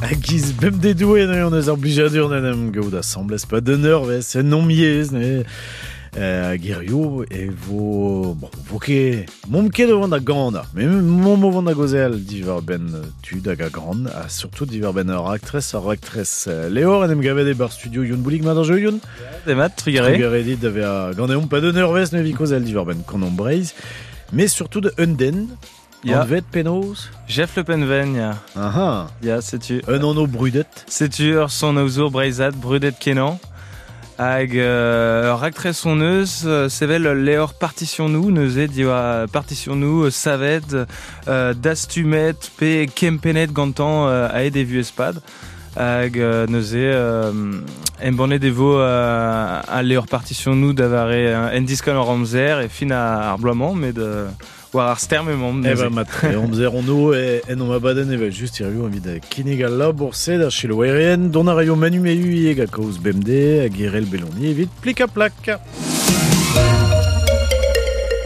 A giz bemde doue ne on eus ar blijadur n'en em gaout asambles pa d'un eurvez, en om yezh ne hag hirio e vo bon, vo ket momp ket o vont da ganañ met momp o vont da gaozeal diwar-benn tud hag a gan ha surtout diwar-benn ur raktres ur raktres Levr en em gavet e-barzh studio Youn Boulig mat ar jeu Youn Demat, trugarez. Trugarez dit da vezañ ganeomp pa d'un eurvezh ne vi kaozeal diwar-benn Kanomp Breizh mais surtout de un den Ya. Anvet penaos Jeff Le Penven, ya. Aha. Ya, setu. Un anv brudet. Setu ur son-aozour breizhat brudet kenañ. Hag ur raktres hon eus, sevel ul levr partisionoù neuze diwar partisionoù savet, dastumet pe kempennet gantañ aet e vuhez-pad. Hag neuze embannet e vo al levr partisionoù da vare en diskan hor amzer e fin ar bloaz-mañ, met war ar stern emaomp neuze. Eh ben, mat, amzer on o en omp abadenn evel just hiziv evit kinnig al labour-se da selaouerien. Dont a raio Manu Mehu ivez gant kaoz bemdez hag Irel Belloni evit plik-ha-plak.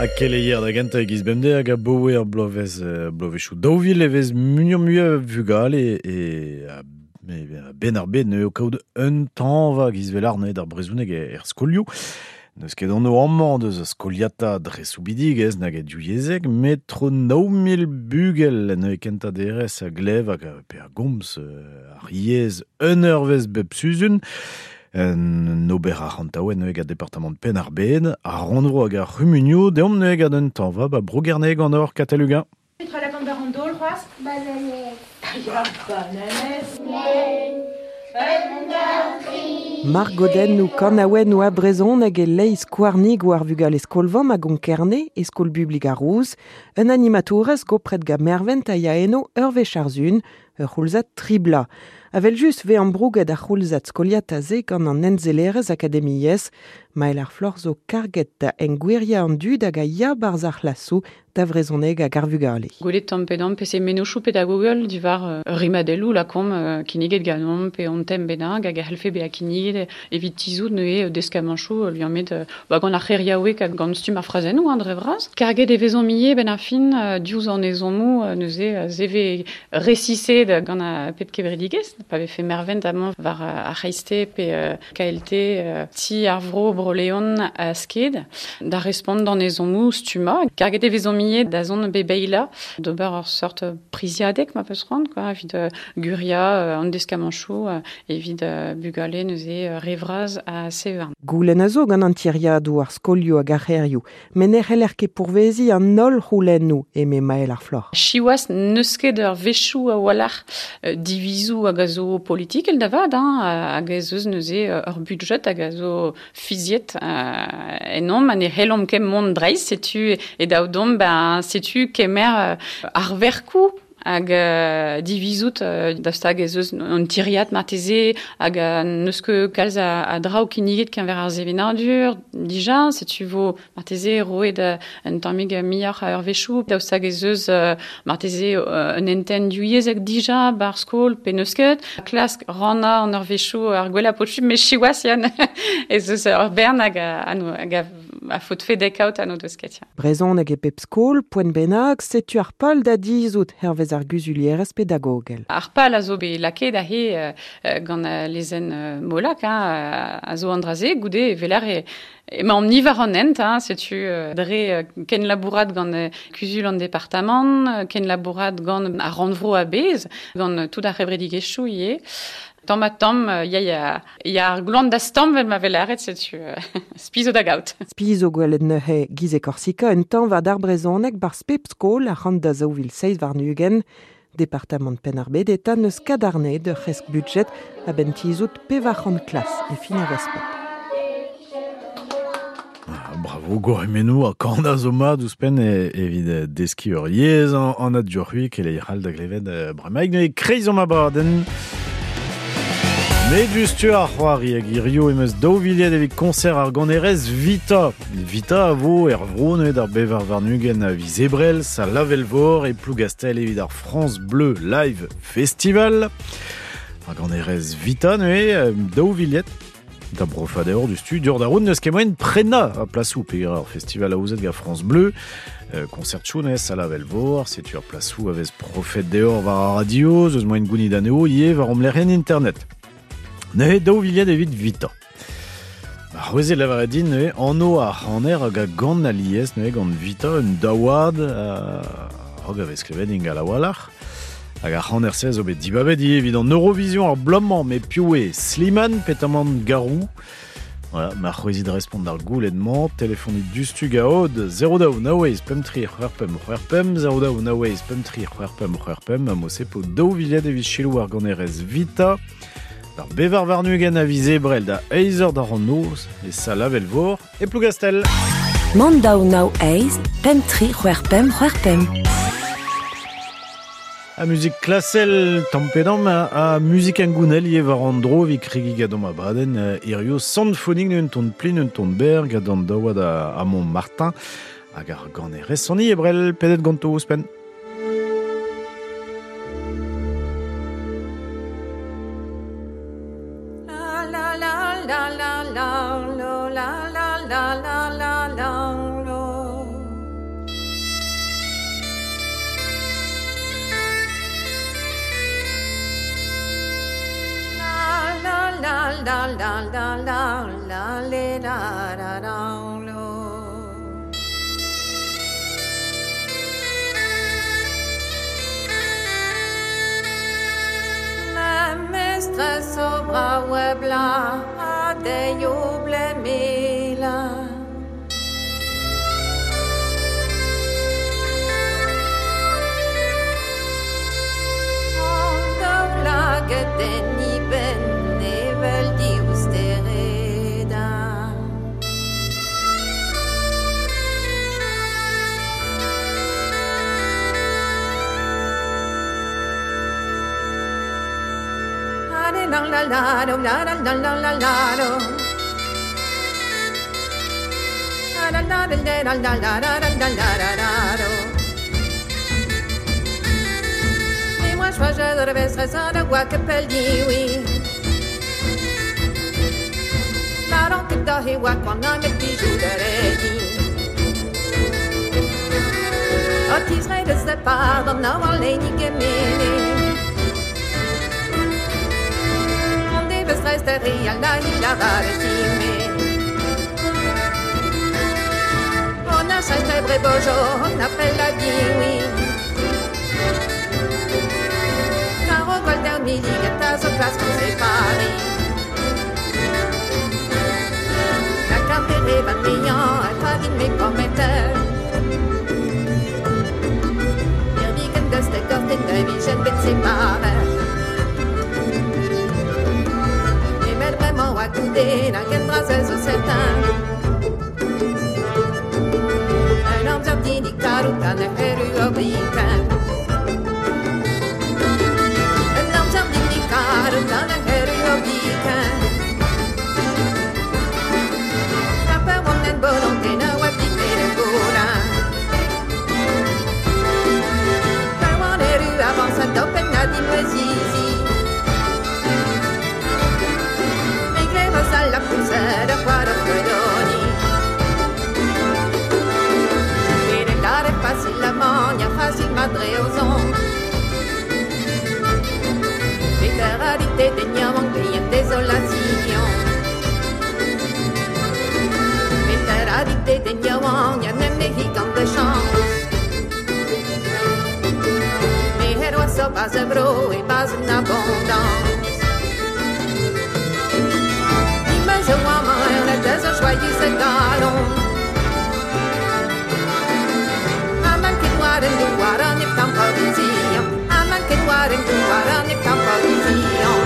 Ha keleier da gentañ e-giz bemdez hag aboe ar bloavezh bloavezhioù 2000 e vez muioc'h-mui a vugale e a-benn ar bed eo kaout un tañva giz vel arne d'ar brezhoneg er skolioù. N'eus ket anv amañ deus a skoliata dre soubidigezh nag e divyezhek, met tro 9 000 bugel en eo kentañ derez a glev hag pe a gomz ar yezh un eurvezh bep sizhun. Un ober arc'hantaouet neuze gant departamant Penn-ar-Bed, ar rannvro hag ar c'humunioù. Deomp neuze gant un tañva ba Bro-Gerne gant hor Katell Uguen. Petra lakaont war an daol c'hoazh? Bananez. Ya, bananez. Margodennoù, kanaouennoù ha brezhoneg e-leizh skouarnigoù ar vugale skol-vamm a Gonk-Kerne e skol bublik ar Rouz. Un animatourez gopret gant Mervent a ya eno ur wech ar sun, ur c'houlzad tri bloaz. Evel-just 'vez ambrouget ar c'houlzad skoliata-se gant an ensellerezh akademiezh. Mael ar Floc'h zo karget da engwiriañ an dud hag a ya 'barzh ar c'hlasoù da vrezhoneg hag ar vugale. Gwelet tamm pe damm peseurt mennozhioù pedagogel diwar rimadelloù lakaomp kinniget ganeomp pe hon tem bennak hag a c'hellfe bezañ kinniget evit tizhout neuze deskamanchoù liammet ba, gant ar c'heriaoueg hag gant stumm ar frazennoù hein, dre vras. Karget e vezomp ivez benn ar fin diouzh an ezhommoù neuze se vez resiset gant ar pep kevredigezh pa vefe mervent amañ war ar c'hreiste pe KLT Ti ar Vro Bro-Leon ha Sked da respont d'an ezhommoù stummañ. Karget e vezomp ivez da zont bebeilañ d'ober ur seurt priziadeg ma peus c'hoant quoi, evit gwiriañ an deskamanchoù evit bugale neuze re vras ha CE1. Goulenn a zo gant an tiriadoù, ar skolioù hag ar c'hêrioù, met ne c'heller ket pourveziñ an holl c'houlennoù, eme Mael ar Floc'h. Siwazh, n'eus ket ur wechoù a-walc'h divizoù hag a zo politikel da vat, hein, hag ez eus neuze ur budjed hag a zo fiziet ennomp ha ne c'hellomp ket mont dreist. Setu e dav deomp, ben, setu kemer ar verkoù hag divizout daoust hag ez eus un tiriad marteze hag n'eus ket kalz a draoù kinniget keñver ar sevenadur dija, setu vo marteze roet un tammig muioc'h a eurvezhioù, daoust hag ez eus marteze un hentenn divyezhek dija ba'r skol pe n'eus ket. Klask rannañ an eurvezhioù ar gwellañ posubl, met siwazh Yann ez eus ur bern hag hag a a faotfe dezhe kaout ha n'o deus ket. Ya. Brezhoneg e pep skol, poent bennak, setu ar pal da dizhout hervez ar guzulierez pedagogel. Ar pal a zo bet lakaet aze gant lezenn Molac, hein, a zo an dra-se. Goude e weler e emaomp-ni war an hent, hein, setu dre kenlabourat gant kuzul an departamant, kenlabourat gant ar rannvro a-bezh, gant tout ar c'hevredigezhioù ivez. Tamm ha tamm, ya, ya, ya ar gloan da stamm vel ma vez lâret, setu spi zo da gaout. Spi zo gwelet neuze giz e Korsika un tañva d'ar brezhoneg 'barzh pep skol ac'hann da 2027. Departamant Penn-ar-Bed eta n'eus kadarnaet ur c'hresk budjed a-benn tizhout 400 klas e fin ar respet. Ah, bravo gourc'hemennoù ha kanañ zo mat ouzhpenn evit deskiñ ur yezh anat dioc'h-c'hwi keleier all da glevet bremaik neuze kreiz omp abadenn. Met diouzhtu ar c'hoari hag hirio em eus daou vilhed evit koñser ar ganerez Vita. Vita a vo er vro neuze d'ar 24 a viz Ebrel, sal Avelvor e Plougastell evit ar France Bleu Live Festival. Ar ganerez Vita neuze, daou vilhed. Da brofadeor du studio da roun neus ket moen prena a plasou pe ur festival a ouzet ga France Bleu. Concert chounez a la velvor, setu ur plasou a vez profet deor war a radio, zeus moen gounid aneo, ie war omlerien internet. Neuze daou viliad evit vita. Ar c'hwezet lavaret din neuze anv ar c'haner hag a gant alies neuze gant Vita un daouad hag a vez klevet ingal a-walc'h. Hag ar c'haner se zo bet dibabet ivez evit an Eurovision ar bloaz-mañ, met piv eo Slimane petamant Garou. Voilà, ma c'hwezit respont d'ar goulenn-mañ, telefonit dustu gaod 0 daou eizh pemp tri c'hwec'h pemp c'hwec'h pemp 0 daou nav eizh pemp tri c'hwec'h pemp c'hwec'h pemp ha mo-se po daou viliad evit selaou ar ganerez Vita. D'ar 24 a viz Ebrel da eizh eur d'ar noz e sal Avelvor e Plougastel. Mont daou nav eizh pemp tri c'hwec'h pemp c'hwec'h pemp. A muzik klasel tamm-pe-damm a muzik hengounel ivez war an dro evit kregiñ gant hom abadenn hirio Santfoning un ton plin un ton berr gant an daouad a Montmartin hag ar ganerez Soni Ebrel pedet ganto ouzhpenn. La la la la la la la la la la la la la. La la la la la la la le la la la lo. Ma mestresse au bras webla a de blemela. Laget en iben evel dioustereda. La la la la la la la la la la. La la la la la la la la la la la. Mais moi je de rêve de guacapelli oui. La ronque da he wa quand on met bijou de redi. Otis redes de pardon na waleni gemene. Resteria la la varetime. On a chassé brebojo, on appelle la oui. Caro golden mili gata so classe qu'on sépare. La café vanillant, elle pas dit mes prometteurs. Irvigen de stekort in de vision bet séparé. Vraiment à couder la guerre zo certain. Un homme jardini caruta ne heru oblique. Un homme jardini caruta ne heru oblique. La peur on en volonté na wapite le gola. Per on heru avance d'open na di mozizi. La pulsera quaro fredoni. Viene dare facile la magna, facile madre aux ondes. Literalité des niamangli en désolation. Literalité des niamangli en mexicant de chance. Mais héros so pas un bro et pas une abondance. Je vois ma des joyeux galon. Aman que noir en noir en temposition. Aman que noir en noir en temposition.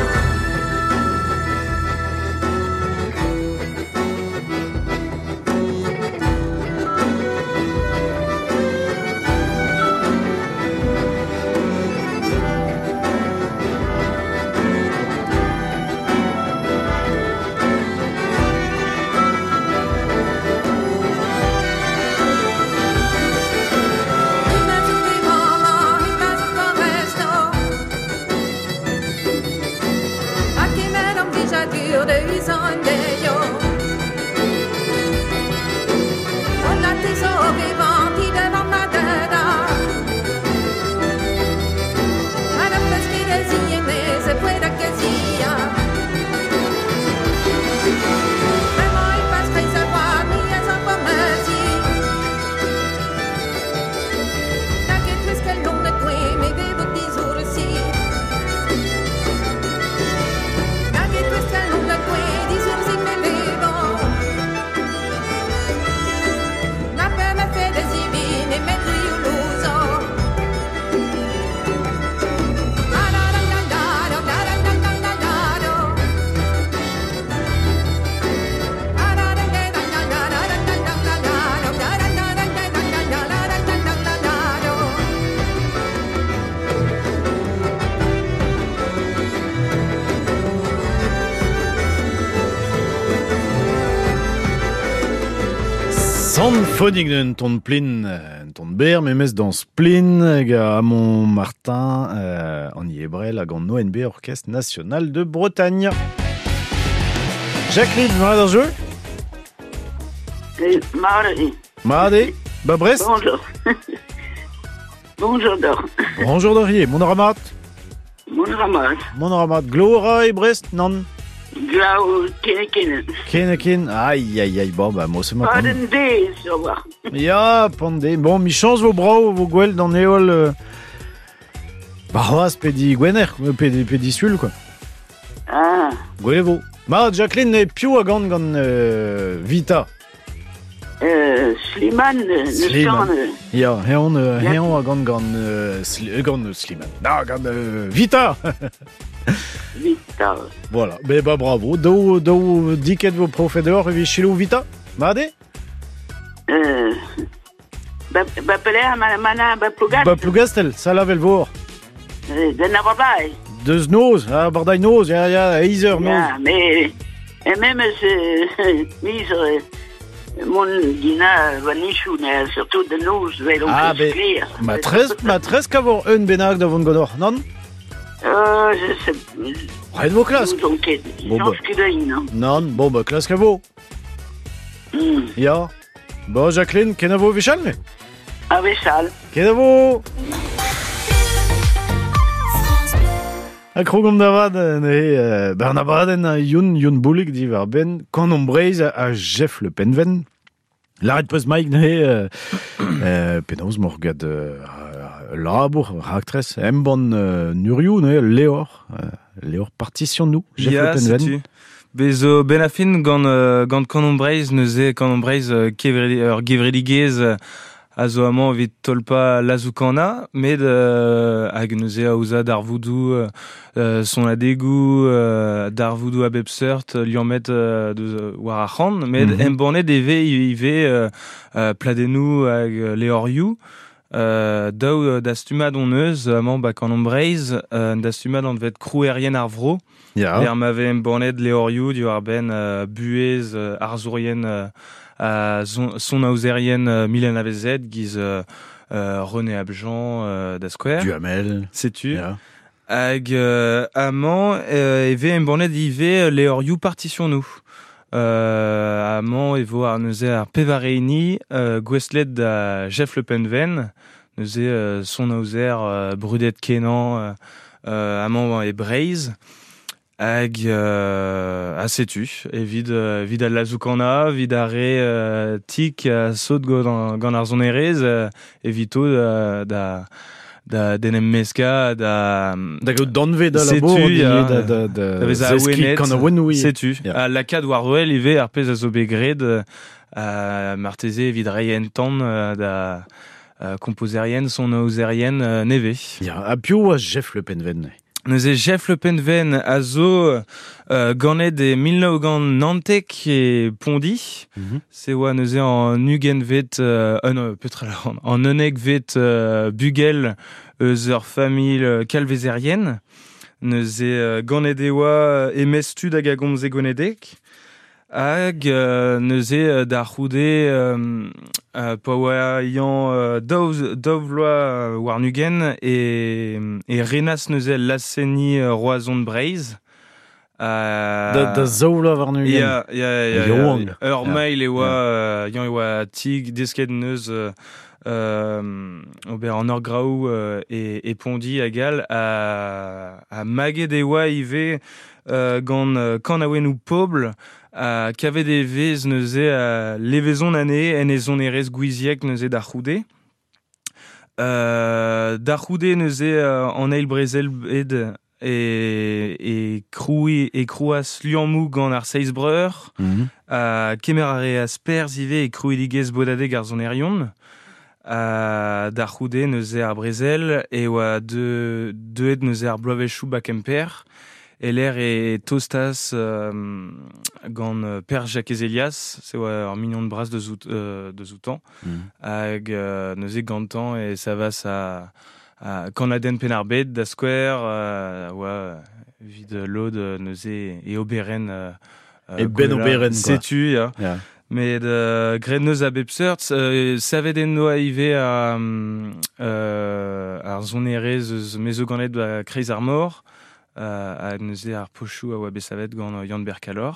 Symphonique d'un ton plin, un ton ber, memes dans Splin, hag Amon Martin, an Iebrel hag an ONB Orchestre National de Bretagne. Jacqueline, mat ar jeu? Mat Mat eo? Ba Brest? Bonjour. Bonjour d'or. Bonjour d'or mon ramat. Mon ramat. Mon ramat. Glora e Brest, nan? Glav ken ken. Ken Aïe, aïe, aïe, bon, bah, moi, c'est ma Paden de, sur war. Ya, pande. Bon, mi chance vo brao, vo gwell d'an eol... Ba c'hoaz, pedi gwener, pedi, pedi sul, quoi. Ah. Gwell e vo. Ma, Jacqueline, e piv a gant gant Vita? Slimane, Slimane. Ya, heon, heon a gant gant, gant Slimane. Na, gant Vita. Vita. Voilà, ben bah bravo. Daou, daou diket vo profet dehors evit selaou Vita. Mat eo? Ba, ba pelec'h ma, mana, ba Plougastel. Ba Plougastel, Salavel vor. Den abardaez. Deus noz, abardaez noz, ya, ya, eizh eur noz. Ya, mais, et memes miz mon dina vanichou, surtout de noz, vel on Ah, ben, ma tres, ma tres kavor un bennak da vont ganor, nan? Je sais. Ret vo klask. N'ouzon ket. Bon, Soñj ket din, non. Nan, bon, ba klask a vo. Ya. Bon, Jacqueline, kenavo wechall, me? A wechall. Kenavo! Ha krogomp da vat, neuze, ben an abadenn Youn, Youn Boulig diwar benn Kanomp Breizh ha Jeff Le Penven. Lâret peus Mike neuze, penaos mor gant labour, raktres, embann Nurioù, neuze, Leor, Leor partition nou, Jeff Ya, Le Penven. setu. Bez zo ben a fin gant, gant Kanomp Breizh, neuze Kanomp Breizh kevredi, ur gevredigezh a zo amañ evit tolpa lazoù-kannañ, met hag neuze aozañ darvoudoù sonadegoù, darvoudoù a bep seurt, liammet deus war ar c'han, met embannet e vez ivez pladennoù hag levrioù. Daou dastumad hon eus, amañ ba Kanomp Breizh, un dastumad anvet Krouerien ar Vro. Ya. Er ma vez embannet levrioù diwar-benn buhez arzourien son aozerien Mylène Avezet, giz René Abjean da skouer. Duhamel. Setu. Ya. Hag amañ e vez embannet ivez levrioù partition nou. Amañ e vo ar neuze ar pevareini gouestlet da Jeff Le Penven, neuze son aozer brudet kenañ amañ e Breizh. Hag a setu, evit evit al lazoù-kannañ, evit ar re tik a sot gant, gant ar sonerezh, evito da da d'en em meskañ, da Da gaout danvez da Setu, labour, ya. da, da, da Da vezañ zeskiñ awenet. kanaouennoù ivez. Setu. Ya. Ha lakaat war wel ivez ar pezh a zo bet graet, marteze evit reiñ en tan da kompozerien, sonaozerien nevez. Ya, ha piv oa Jeff Le Penven? Neuze Jeff Le Penven a zo ganet e 1997 e Pondi. Se oa neuze an ugentvet, non, petra la, an unnekvet bugel eus ur familh kalvezerien. Neuze ganet e oa e-maez tud hag a gomze gwenedeg. Hag neuze da c'houde pa oa yañ daou, daou vloaz warn-ugent e, e renas neuze laz-seniñ Roazhon Breizh. Da, da zaou vloaz warn-ugent. Ya, ya, ya, ya. Yaouank. Ur Ya. mail e oa, yañ e oa tig desket neus ober an ur graou e, e Pondi hag all a maget e oa ivez gant kanaouennoù pobl a kavet e vez neuze levezon anezhe en e sonerezh gouiziek neuze da c'houde. Da c'houde neuze an eil brezel bed e, e kroui e krouas liammoù gant ar Seiz Breur, kemer a reas perzh ivez e krouidigezh bodadeg ar sonerion. Da c'houde neuze ar brezel e oa de, deuet neuze ar bloavezhioù ba Kemper. Eler e tostas gant Per Jakez Elias, se oa ur mignon de bras de zout, de zoutan, hag neuze gantañ e savas a Kanadenn Penn-ar-Bed da skouer, oa evit lod neuze e oberenn E ben gwella. oberenn, quoi. Setu, ya. Ya. Met graet neus a bep seurt, savet en doa ivez ar sonerezh eus me zo ganet ba kreiz ar mor, ha neuze ar pochoù a oa bet savet gant Yann-Ber Kalor.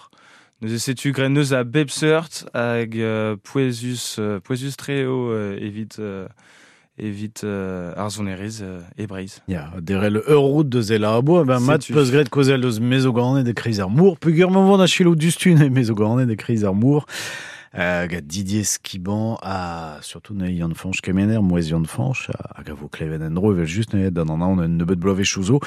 Neuze setu graet neus a bep seurt hag pouezus, pouezus-tre eo evit evit ar sonerezh e Breizh. Ya, derel ur route deus e labour, ben mat peus graet kaozeal deus mezoganet e kreiz ar mor, peogwir mañ vont a selaou diouzhtu ne mezoganet e kreiz ar mor, gant Didier Skiban ha surtout neuze Yann-Fañch Kemener, mouezh Yann-Fañch, hag a vo klevet en-dro evel-just neuze d'an anaon un nebeud bloavezhioù zo.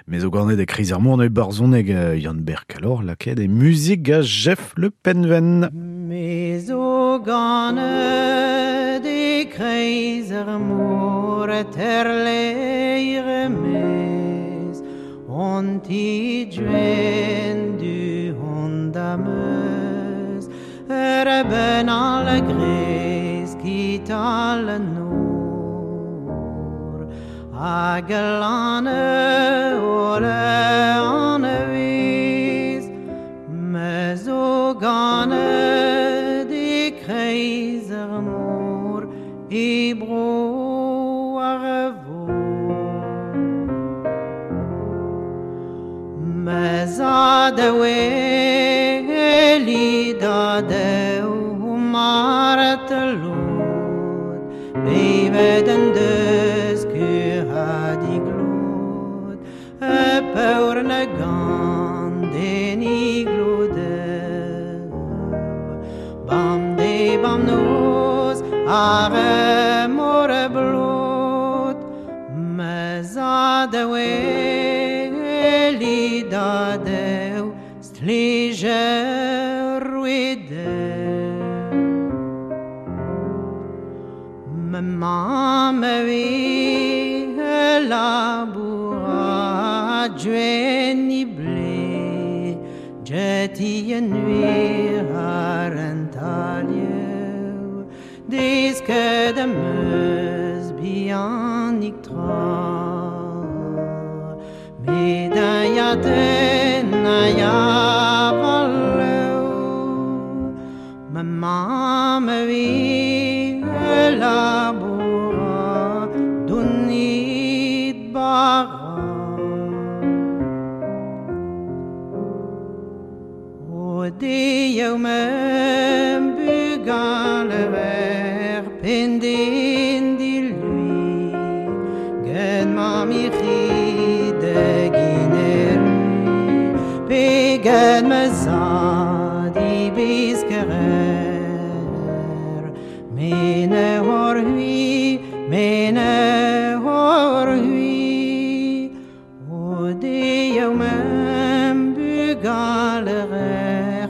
Mezoganet e kreiz ar mor neuze barzhoneg Yann-Ber Kalor lakaet e muzik gant Jeff Le Penven. Me zo ganet e kreiz ar mor terleir mez on ti duen du hon dameus ur ben al grez kital nor hag lan ole an vez me zo ganet e kreiz ar mor e bro ar vo Me zad a weli da deu maret lod bevet en deus kur ha diglod e peur na gant den iglodeu bam de bam noz ar mor blot Me zad a weli da deu stlijer wideu Ma mamm a vi labour duen i ble Jeti en nuir ar en talieu Desket am eus bihanik tra Met a ya den a ya valeu Ma mamm a vi labour donit bara O de mem bugale ver pendin di lui Gen ma mi de giner pe gen me zad i biskerer Mene hor hui, mene hor hui O de mem bugale ver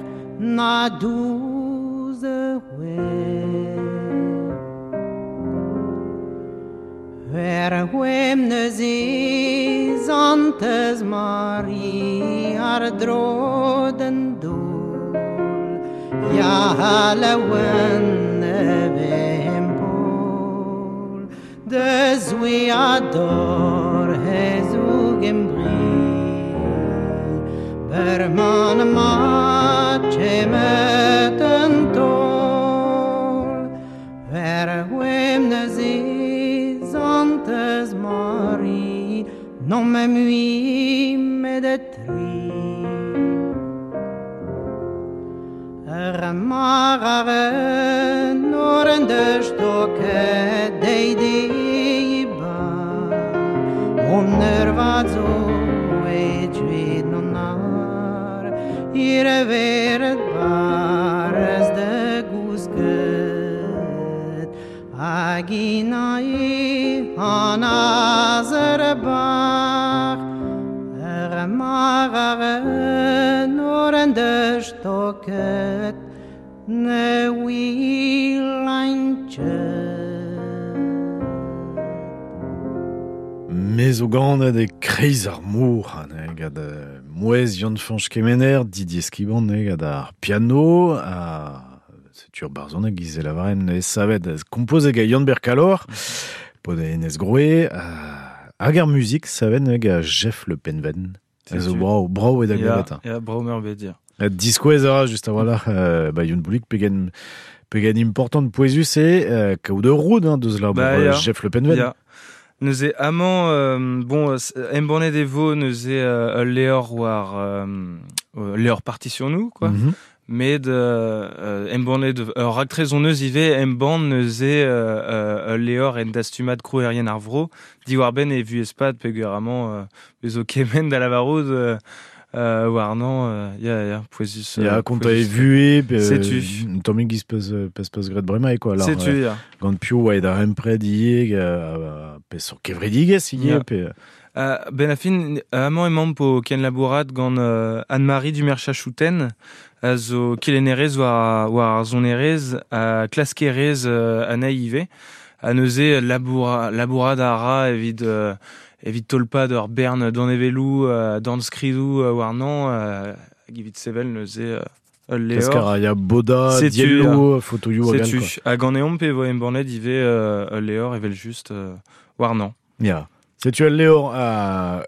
na douze Ver hwem neuze Zantez Mari ar dro d'an dol Ya laouen vem pol Deus we ador hezoug em bri Berman ma chemet an tol Ver hwem neuze Zantez Mari non me mui me de tri Ur mar ar nor en de stoke dei di ba On ur vad zo e djuet non ar Ir e veret barez de gousket Hag ina e an azer bar Ur mar ar nor en de stoket ne wilain Me zo ganet e kreiz ar mor, ne, gant mouezh Yann-Fañch Kemener, Didier Skiban, ne, gant ar piano, ha setu ur barzhoneg giz e lavaren ne savet kompoze gant Yann-Ber Kalor, pod enez Groe, hag ar muzik savet ne, gant Jeff Le Penven. Ez zo Setu. brao, brao e da Ya, glevet. ya, brao meurbet, ya. Diskouez a ra just a-walc'h ba Youn Boulig pegen pegen important pouezus eo kaout ur roud hein, deus labour Ba, ya. Jeff Le Penven. Ya. Neuze amañ bon embannet e vo neuze ul levr war levr partitionnoù quoi. Met embannet ur raktres hon eus ivez embann neuze ul levr en dastumad krouerien ar vro diwar-benn e vuhez-pad peogwir amañ bezo kement da lavarout warnañ ya ya pouezus Ya, konta e pouezus. vuhez, pe Setu. un tammig giz peus peus peus graet bremañ quoi. Alors, Setu, ya. gant piv oa da empred ivez, peseurt kevredigezh ivez, pe Ben a fin, amañ emaomp o kenlabourat gant Anne-Marie Dumerchachouten, a zo kelennerez war ar sonerezh ha klaskerez anezhi ivez. Ha neuze labourat a ra evit tolpad ur bern danevelloù, dornskridoù warnañ, hag evit sevel neuze ul levr. Klask a ra ya boda, Setu, dielloù, ya. fotoioù hag all, Setu. quoi. Hag ganeomp e vo embannet ivez ul levr evel just warnañ. Ya. Setu ul levr a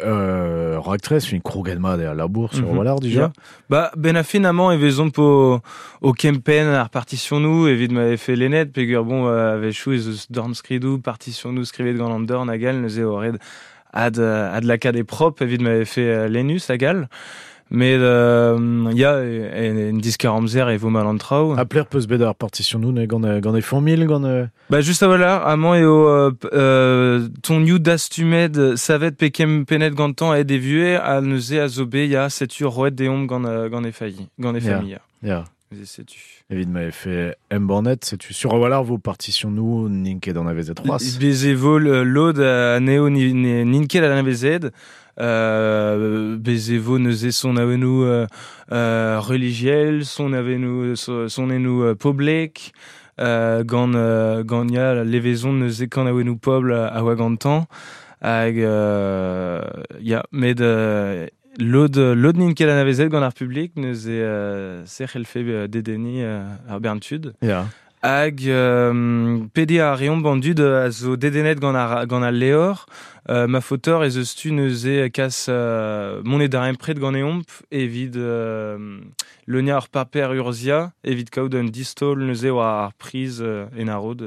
raktres, fin kroget mat eo al labour sur walc'h dija. Ya. Ba, ben a fin amañ e vezomp o kempenn ar partitionnoù evit ma vefe lennet, peogwir bon a-wechoù ez eus dornskridoù, partitionnoù skrivet gant an dorn hag all, neuze eo ret ad lakaat e prop evit ma vefe lennus hag all. Met ya, en diskar amzer e vo mal an traoù. Ha pler peus bet ar partitionnoù ne gant e familh, gant Ba, just a-walc'h, amañ eo tonioù dastumet savet pe kempennet gantañ aet e vuhez, ha neuze a zo bet, ya, setu roet deomp gant e failli, gant e Ya. familh. Ya. Neuze setu. Evit ma vefe embannet, setu sur a-walc'h vo partitionnoù n'int ket anavezet c'hoazh. Bez e vo lod anezho n'int ket anavezet. Bez e vo neuze son awennoù religiel, son awennoù, sonennoù poblek, gant ya levezon neuze kan awennoù pobl a oa gantañ. Hag ya, met lod n'int ket anavezet gant ar publik, neuze se c'hellfe dedenniñ ar bern tud. Ya. Hag pediñ a reomp an dud a zo dedennet gant al levr. Ma faotor ez eus tu neuze kas monet da empred ganeomp evit leuniañ ur paper urzhiañ evit kaout un distaol neuze war ar priz en arod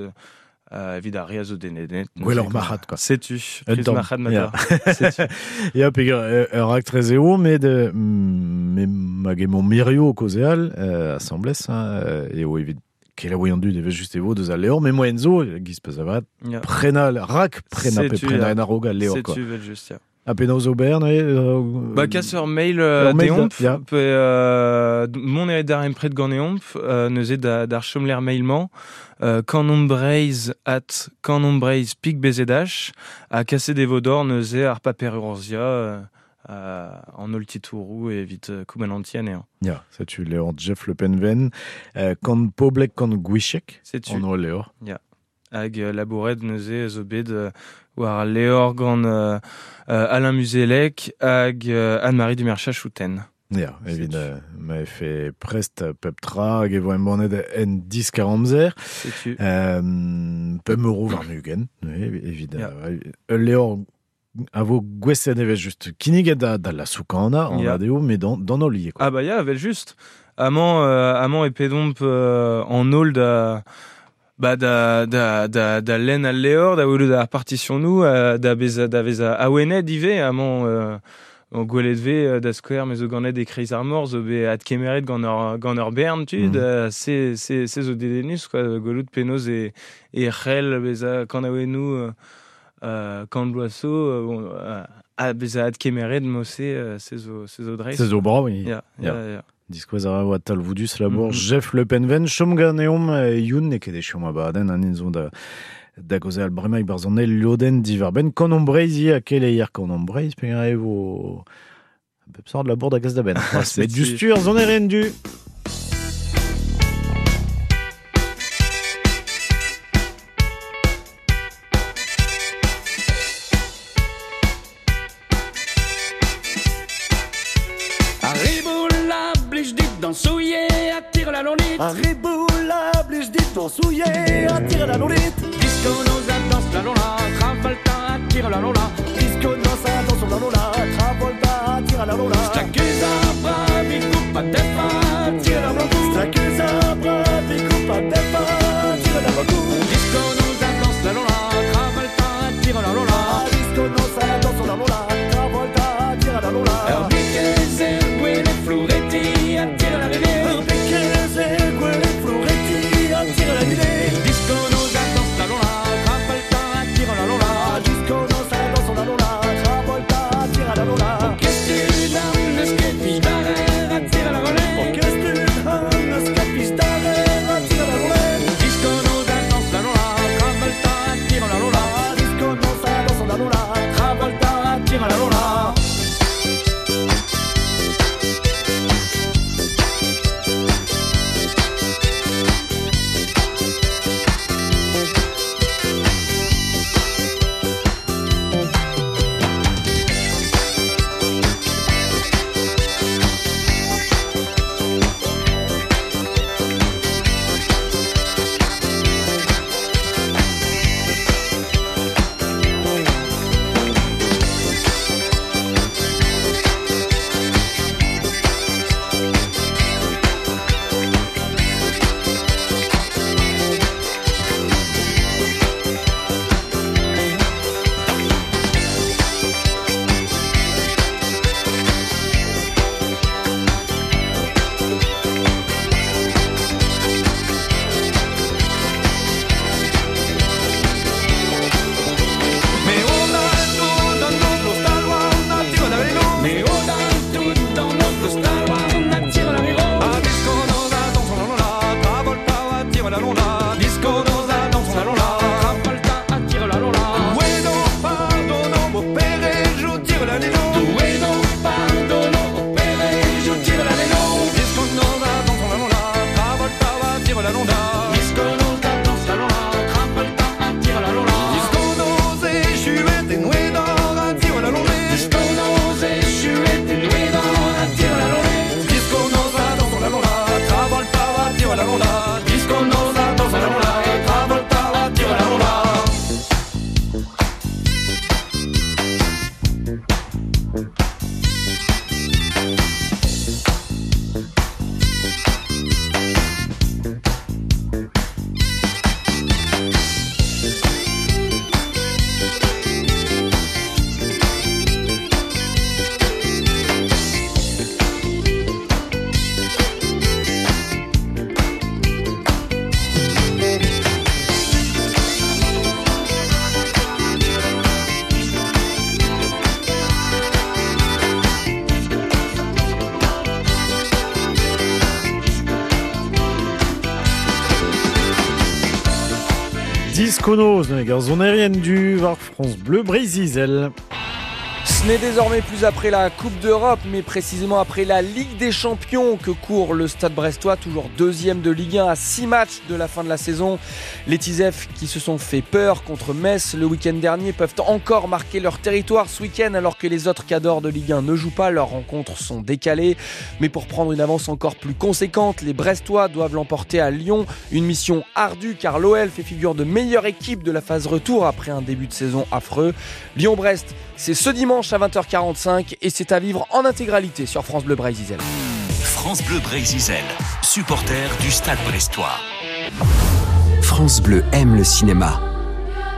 evit ar re a zo dedennet. Gwelloc'h marc'had, quoi. Setu, Un priz tamm. marc'had ma Ya. ta. Setu. Ya, peogwir ur raktres eo, met me hag emañ mirio o kaozeal asambles, hein, eo evit kelaouiñ an dud evel just e vo deus al levr, met moaien zo, giz peus avat, Ya. prenañ, rak prenañ pe Setu, prenañ ya. en a-raok al levr, quoi. Setu, evel just, ya. Ha penaos ober, neuze, Ba, kas ur mail ur mail deomp, da, ya. pe mont eo d'ar empred ganeomp, neuze d'ar chomlec'h mail-mañ, kanombreiz at kanombreiz pik bzh, ha kaset e vo d'or neuze ar paper urzhiañ an holl titouroù evit koumanantiñ anezhañ. Ya, setu levr Jeff Le Penven, kant poblek, kant gwichek, Setu. an holl levr. Ya. Hag labouret neuze zo bet war al levr gant Alain Muzelec hag Anne-Marie Dumerchat-Chouten. Ya, evit ma vefe prest pep tra hag e vo embannet en diskar amzer. Setu. Pemp euro warn-ugent, neuze, evit, Ya. ul levr a vo gouestlet evel just kinniget da la soukana, an Ya. adeo, met d'an holl ivez, quoi. Ah bah ya, evel just. Amañ e pedomp an holl da, ba, da, da, da, da lenn al levr, da welout ar partitionnoù, da beza, da veza awenet ivez, amañ o gwelet ve da skouer, me zo ganet e kreiz ar mor, zo bet adkemeret gant ur bern tud, se zo dedennus, quoi, gwelout penaos e c'hell beza kanaouennoù kant bloaz zo, bon, a beza adkemeret mo-se, se zo dreist. Se zo brav, oui. Ya, Ya. ya, ya. Diskouez a ra oa talvoudus labour Jeff Le Penven, chom ganeomp Youn, n'eo ket echu ma badenn, an in zo da gaozeal bremañ barzh an eil lodenn diwar-benn Kanomp Breizh ivez, ha keleier Kanomp Breizh, peogwir e vo bep sort labour da gas da benn. Met Setu. du stur, zon du. Arriboula, blij dit dansouiller, attire la lolite. Arriboula, blij dit dansouiller, attire la lolite. Disco nos a danse la lola, Travolta attire la lola. Disco nos a danse la lola, Travolta attire la lola. Staguza, bravi, coupa, defa, Diskonoz, neuze ar sonerien du war France Bleu Breizh-Izel. Ce n'est désormais plus après la Coupe d'Europe, mais précisément après la Ligue des Champions que court le Stade Brestois, toujours deuxième de Ligue 1 à 6 matchs de la fin de la saison. Les Tisef qui se sont fait peur contre Metz le week-end dernier peuvent encore marquer leur territoire ce week-end alors que les autres cadors de Ligue 1 ne jouent pas, leurs rencontres sont décalées. Mais pour prendre une avance encore plus conséquente, les Brestois doivent l'emporter à Lyon. Une mission ardue car l'OL fait figure de meilleure équipe de la phase retour après un début de saison affreux. Lyon-Brest, c'est ce dimanche à 20h45 et c'est à vivre en intégralité sur France Bleu Breizh-Izel. France Bleu Breizh-Izel, supporter du Stade Brestois. France Bleu aime le cinéma.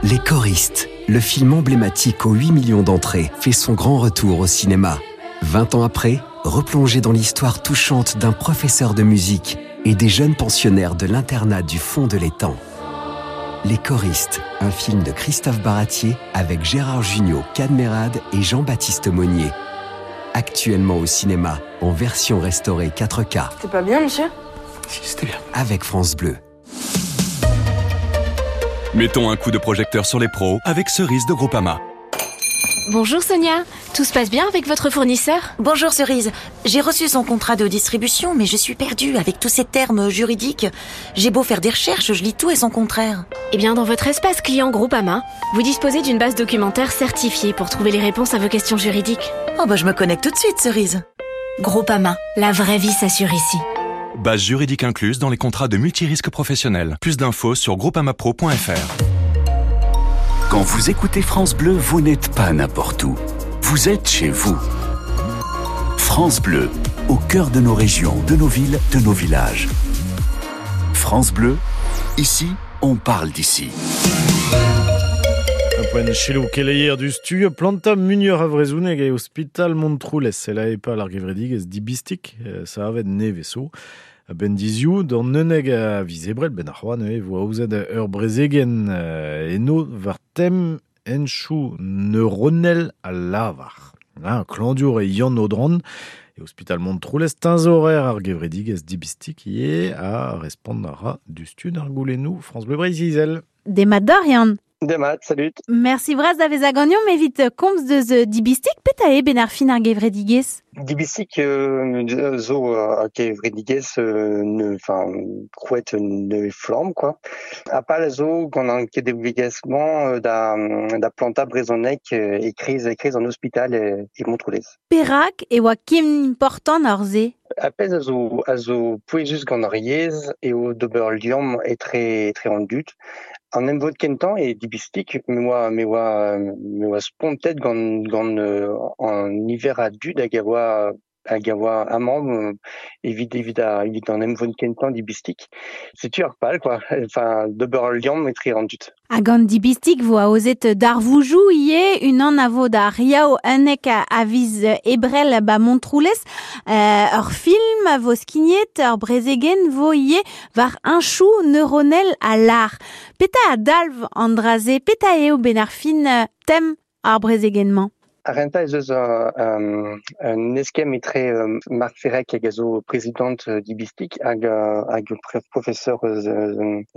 Les Choristes, le film emblématique aux 8 millions d'entrées, fait son grand retour au cinéma. 20 ans après, replongé dans l'histoire touchante d'un professeur de musique et des jeunes pensionnaires de l'internat du fond de l'étang. Les Choristes, un film de Christophe Baratier avec Gérard Jugnot, Cadmerade et Jean-Baptiste Monnier. Actuellement au cinéma, en version restaurée 4K. C'était pas bien, monsieur ? Si, c'était bien. Avec France Bleu. Mettons un coup de projecteur sur les pros avec Cerise de Groupama. Bonjour Sonia, tout se passe bien avec votre fournisseur ? Bonjour Cerise, j'ai reçu son contrat de distribution mais je suis perdue avec tous ces termes juridiques. J'ai beau faire des recherches, je lis tout et son contraire. Eh bien dans votre espace client Groupama, vous disposez d'une base documentaire certifiée pour trouver les réponses à vos questions juridiques. Oh bah je me connecte tout de suite Cerise. Groupama, la vraie vie s'assure ici. Base juridique incluse dans les contrats de multirisque professionnel. Plus d'infos sur groupamapro.fr. Quand vous écoutez France Bleu, vous n'êtes pas n'importe où. Vous êtes chez vous. France Bleu, au cœur de nos régions, de nos villes, de nos villages. France Bleu, ici, on parle d'ici. Un point keleier du stu planta munior a vrezhoneg e ospital Montroulez la e pal ar gevredigezh dibistik sa avet neveso. Ben dizioù d'an neuneg a vizebrel ben ar c'hoant e vo aozet ur brezegen eno war tem enchou neuronel a lavar. Klandiour e Yann Audran e ospital Montroulez tinzorer ar gevredigezh dibistik ie a respond ara du stu d'ar goulennoù France Bleu Breizh-Izel. Demat d'or, Yann. Demat, salut. Merci bras da vez agagnon, evit komz deus dibistik, peta e ben ar fin ar gevredigezh? Dibistik zo a gevredigezh enfin krouet ne flamm quoi. A pal zo gant an kedevigezh-mañ da planta brezhoneg e kriz an ospital e Montroulez. Perak e oa ken important ar se? A pezh a zo pouezus gant ar yezh eo d'ober liamm etre an dud. An emvod kentañ e dibistik me oa spontet gant an niver a dud hag a oa amañ evit an emvod kentañ dibistik. Setu ar pal quoi, enfin d'ober liamm etre an dud. Hag an dibistik vo aozet darvoujou ie unan a vo da riao unnek a viz ebrel ba Montroulez ur film a vo skignet ur brezegen vo ie war un chou neuronel a lar. Peta a dalv an draze, peta eo ben ar fin tem ar brezegenmañ? Ar renta ez eus un eskemm etre Marc Ferrec hag a zo prezident dibistik hag professeur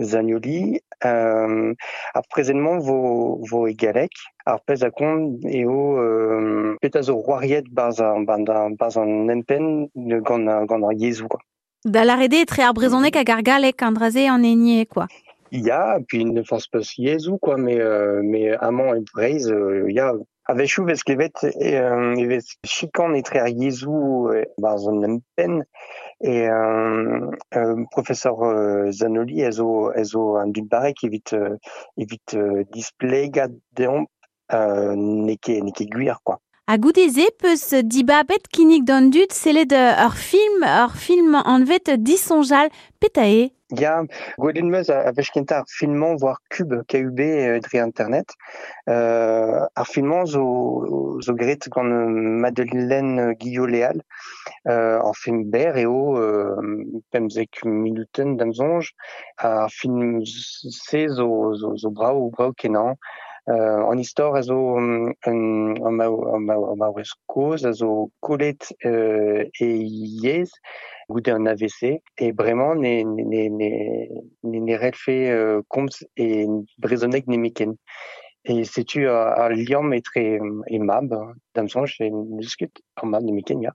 Zagnoli. Ar prezentement vo e galek. Ar pezh a kont eo peta zo roariet barz an empenn gant ar yezhoù quoi. Da l'arede etre ar brezhoneg hag ar galek an draze an enie quoi. Ya, puis ne pense pas yezhoù quoi, mais amañ e Breizh ya. A-wechoù vez klevet e vez chikan etre ar yezhoù barz an empenn e professeur Zanoli a zo an dud barrek evit displegañ deomp n'eo ket gwir quoi. Ha goude-se peus dibabet kinnig d'an dud sellet ur film anvet Disonjal peta eo? Ya, gwelet meus a wech kentañ ar filmañ war Cube, KUB dre internet. Ar filmañ zo graet gant Madeleine Guillot-Léal. Ar film berr eo 15 minuten d'am soñj. Ar film se zo brav kenañ. An istor a zo un maouez kozh a zo kollet e yezh goude an AVC e bremañ ne relfe komz e brezhoneg nemetken. E setu ar liamm etre e mab, da'm soñj, e n'eus ket ar mab nemetken, ya.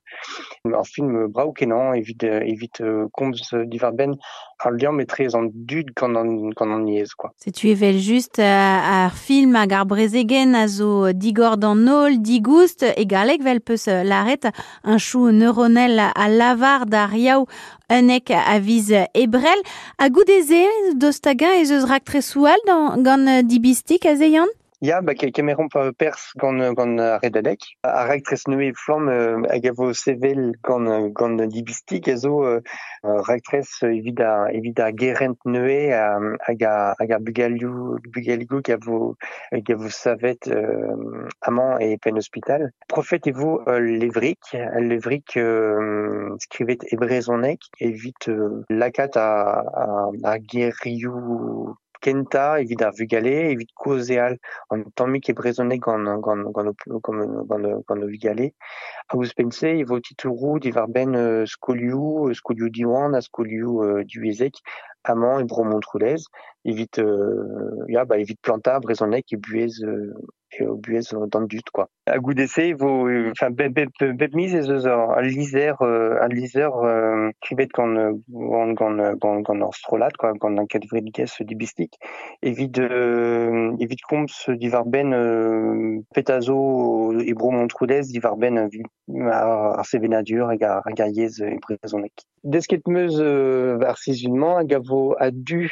Ur film brav kenañ evit komz diwar-benn ar liamm etre an dud gant an yezh, quoi. Setu evel just ar film hag ar brezegen a zo digor d'an holl, digoust, e galleg vel peus lâret un chou neuronel a lavar d'ar yaou unnek a viz ebrel. Ha goude-se, dost hag-eñ ez eus raktresoù all gant Dibistig aze, Yann? Ya, ba kemeromp perzh gant ar Redadeg. Ar raktres nevez flamm hag a vo sevel gant Dibistig a zo raktres evit ar gerent nevez hag ar bugaligoù hag a vo savet amañ e penn ospital. Profet e vo ul levrig skrivet e brezhoneg evit lakaat ar gerioù kentañ evit ar vugale, evit kaozeal an tammig e brezhoneg gant o vugale. Hag ouzhpenn-se e vo titouroù diwar-benn skolioù Diwan ha skolioù divyezhek amañ e Bro Montroulez evit plantañ brezhoneg e buhez d'an dud, quoi. Ha goude-se e vo enfin bep miz ez eus ul lizher skrivet gant ur strollad, quoi, gant an kevredigezh Dibistig evit komz diwar-benn petra zo e Bro Montroulez diwar-benn ar sevenadur hag ar yezh e brezhoneg. Desket 'm eus ar sizhun-mañ hag a vo a-du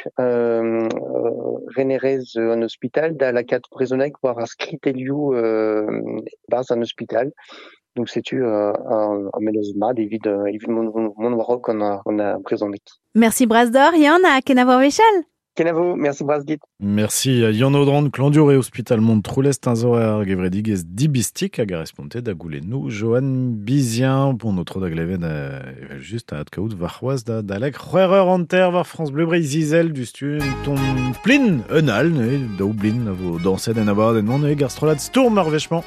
renerez an ospital da lakaat brezhoneg war ar skritelioù barzh an ospital. Donc setu un mennozh mat evit mont war-raok gant ar brezhoneg. Merci bras d'or, Yann, ha kenavo ar wech all. Kenavo, merci bras dit. Merci Yann Audran, Klandur e Ospital Montroulez, teñzor ar gevredigezh Dibistig hag a responte da goulennoù Johan Bizien. Bon, notre da glevet evel just a adkaout warc'hoazh da dalek 6h30 war France Bleu Breizh Izel du stun ton plin un all, ne, daou blin a vo dañset en abadenn non e gar strollad stourm ar wech-mañ.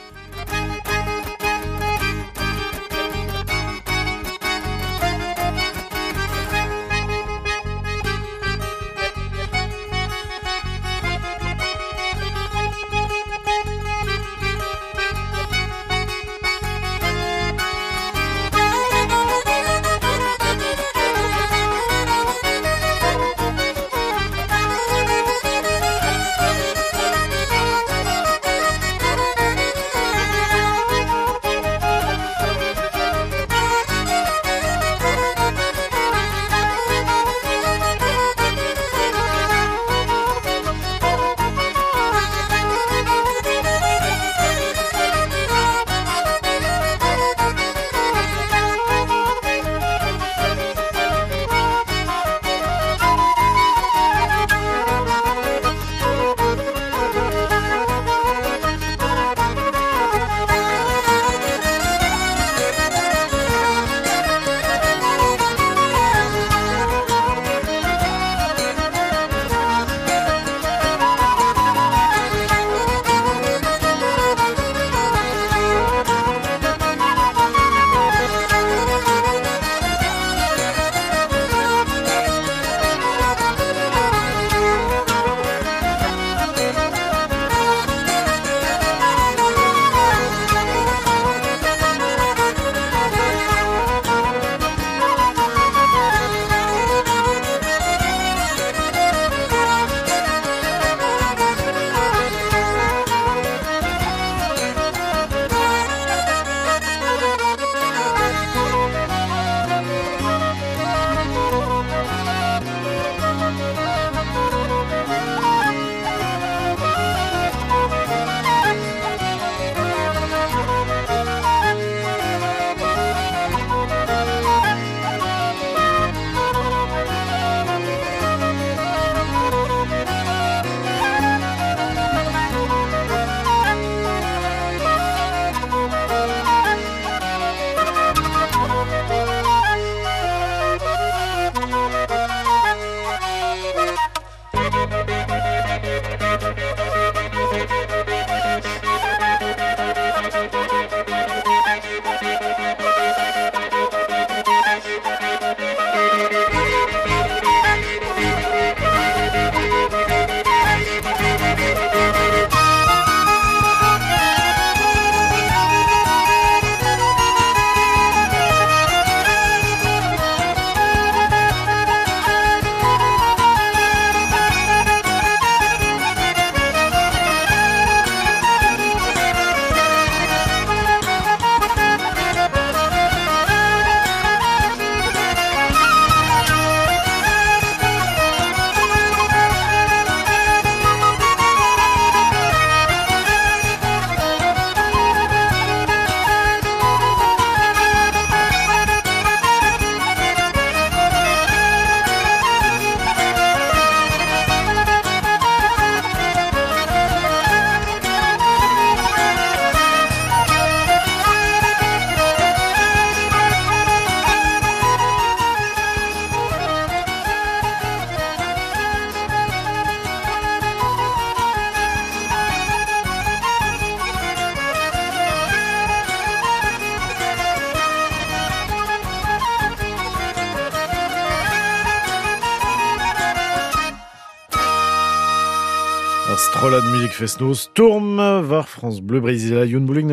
Ar strollad muzik fest-noz Tourm war France Bleu Breizh Youn Boulig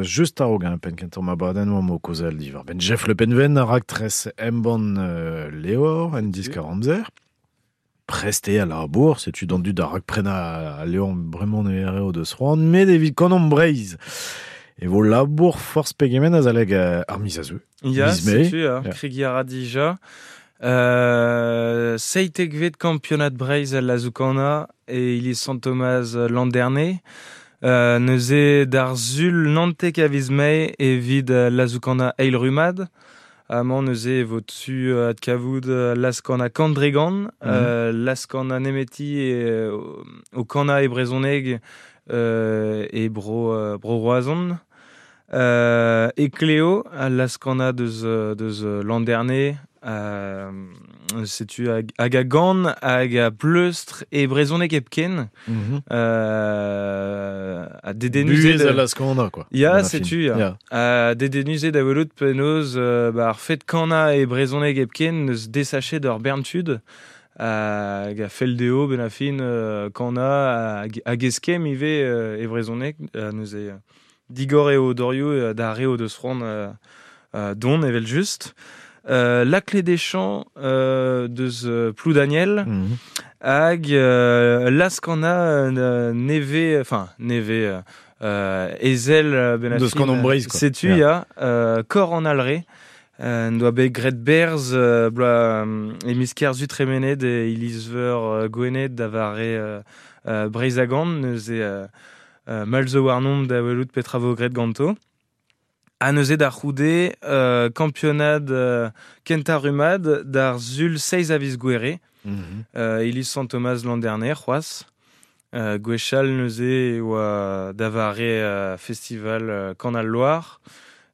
just a-raok hein, penn kentañ ma badenn oa mo kaozeal diwar benn Jeff Le Penven ar raktres embann Leor en diskar amzer. Prest eo al labour, setu d'an dud a rakprenañ al Leor bremañ ne eo deus c'hoant, met evit kanomp Breizh e vo labour forzh pegement azalek ar miz a zeu. Ya, Miz Mae. setu, Ya. kregiñ a ra dija. Seitekvet kampionad Breizh al lazoù-kanañ e iliz Sant-Tomaz Landerne. Neuze d'ar sul 19 a viz Mae evit lazoù-kanañ eil rummad. Amañ neuze e vo tu adkavout laz-kanañ Kandregan, laz-kanañ nemeti e, o kanañ e brezhoneg e bro, bro Roazhon. E Cléo, al laz-kanañ deus Landerne, setu hag a gan hag a pleustr e brezhoneg hepken. Ha dedennus Buhez eo al laz-kanañ, quoi. Ya, Gant ar film. setu, ya. Ya. Ha dedennus eo da welout penaos ba, ar fed kanañ e brezhoneg hepken neus desachet ur bern tud hag a fell dezho benn ar fin kanañ hag eskemm ivez e brezhoneg. Neuze digor eo dorioù d'ar re o deus c'hoant dont evel-just. La Clé des Champs deus Ploudaniel hag Laskana neve, enfin neve ezel ben ar Deus fin, Kanomp Breizh, quoi. Setu, Ya. ya, Kor an Alre. En doa bet graet berzh bloaz e miz Kerzu tremenet e iliz-veur Gwened da vare Breizh-Agan, neuze mall zo warnomp da welout petra vo graet ganto. Ha neuze da c'houde kampionad kentañ rummad d'ar sul 6 a viz Gouere, iliz Sant-Tomaz Landerne c'hoazh. Gwechall neuze e oa da vare festival Kanal Loire,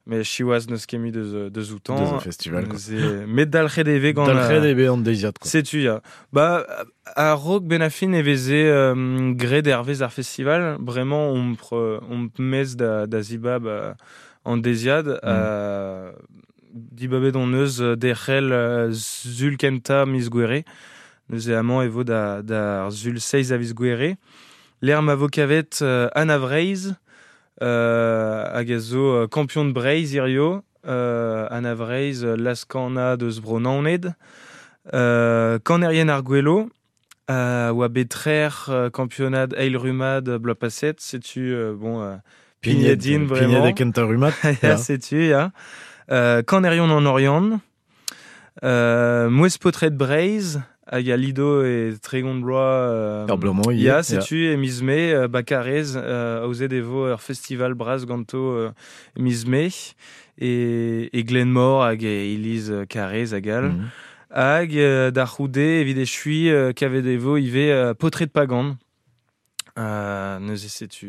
met siwazh n'eus ket mui deus outañ. Deus ar festival, quoi. Neuze, met dalc'het e vez gant Dalc'het eo bet an deiziad, quoi. Setu, ya. Ba, a-raok benn ar fin e veze graet hervez ar festival. Bremañ omp mez da zibab an deiziad. Dibabet hon eus derc'hel sul kentañ miz Gouere. Neuze amañ e vo d'ar sul 6 a viz Gouere. Lec'h ma vo kavet Anna Vreizh, hag a zo kampion de Breizh hirio. Anna Vreizh, laz-kanañ deus Bro Naoned. Kanerien ar Gwelo, oa bet trec'h kampionad eil rummad bloaz paset. Setu, bon, Pignet, Pignedin, pignet vraiment. e kentañ rummad. Ya, Ya. setu, ya. Kanerion an Oriant. Mouez Potret Breizh, hag a lido e tregont bloaz Ur bloaz-mañ ivez, ya, ya. setu, e miz Mae, Bakarez, aozet e vo ur festival bras ganto miz Mae, e Glenmor hag e iliz Karez hag all. Hag da c'houde, evit echuiñ, kavet e vo ivez Potret Pagan. Neuze setu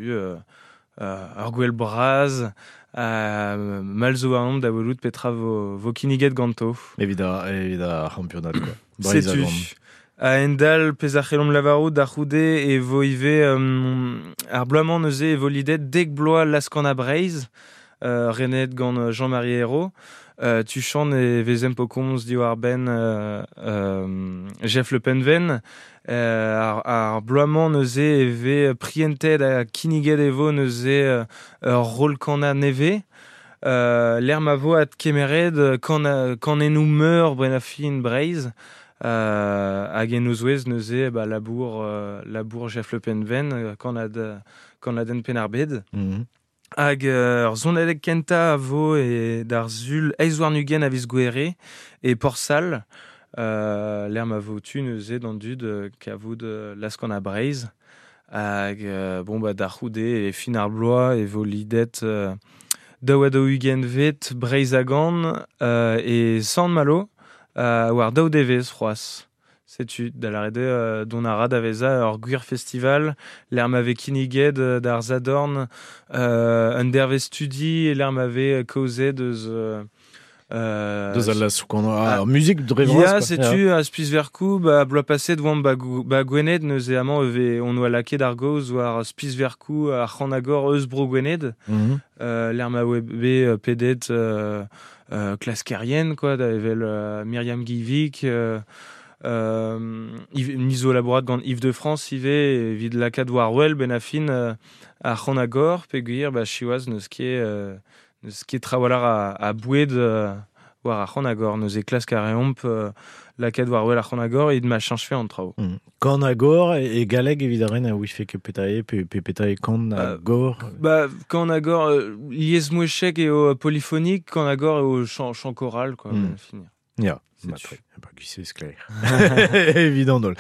ur gwel bras, mall zo warnomp da welout petra vo kinniget ganto. Evit ar c'hampionad, quoi. Breizh Setu. a gant. A-hend-all, pezh a c'hellomp lavarout da c'houde e vo ivez ar bloaz-mañ neuze e vo lidet dek bloaz Laskana Breizh, renet gant Jean-Marie Hérault. Tuchant e vezemp o komz diwar-benn Jeff Le Penven. Ar bloaz-mañ neuze e vez prientet ha kinniget e vo neuze ur roll-kanañ nevez. Lec'h ma vo adkemeret kanennoù meur Brenafin Breizh. Hag en o zouez neuze ba, labour Jeff Le Penven, kanadenn Penn-ar-Bed. Hag ur sonadeg kentañ a vo e d'ar sul eizh warn-ugent a viz Gouere e Porsal. Lec'h ma vo tu neuze d'an dud kavout Laskana Breizh. Hag bon, ba, da c'houde e fin ar bloaz e vo lidet daou ha daou-ugent vet Breizh a gan e Sant-Malo, war daou devezh c'hoazh. Setu, da lâret eo dont a ra da vezañ ur gwir festival, lec'h ma vez kinniget d'ar Zadorn un dervezh studi, lec'h ma vez kaozet eus Deus al lasoù-kanañ, ar muzik dre vras, Ya, quoi. setu, Ya. a Spisverkoù, ba, bloaz paset oamp ba Gwened, neuze amañ e vez, on oa lakaet ar gaoz war Spisverkoù ar c'hanagor eus bro Gwened. Lec'h ma oa bet pedet klaskerien, quoi, da evel Myriam Guillevic, Ni zo labourat gant Yves de France ivez evit lakaat war wel ben a fin ar c'han-agor peogwir ba siwazh n'eus ket trawalc'h a boued war ar c'han-agor. Neuze klask a reomp lakaat war wel ar c'han-agor evit ma cheñchfe an traoù. Kan-agor e galleg evit ar ren a ouife ket petra eo pe petra eo kan-agor? Ba kan-agor liesmouezhek eo polyphonique, kan-agor eo chant choral quoi, finir. Ya, matre. Ba, gwise sklaer. Evident dol.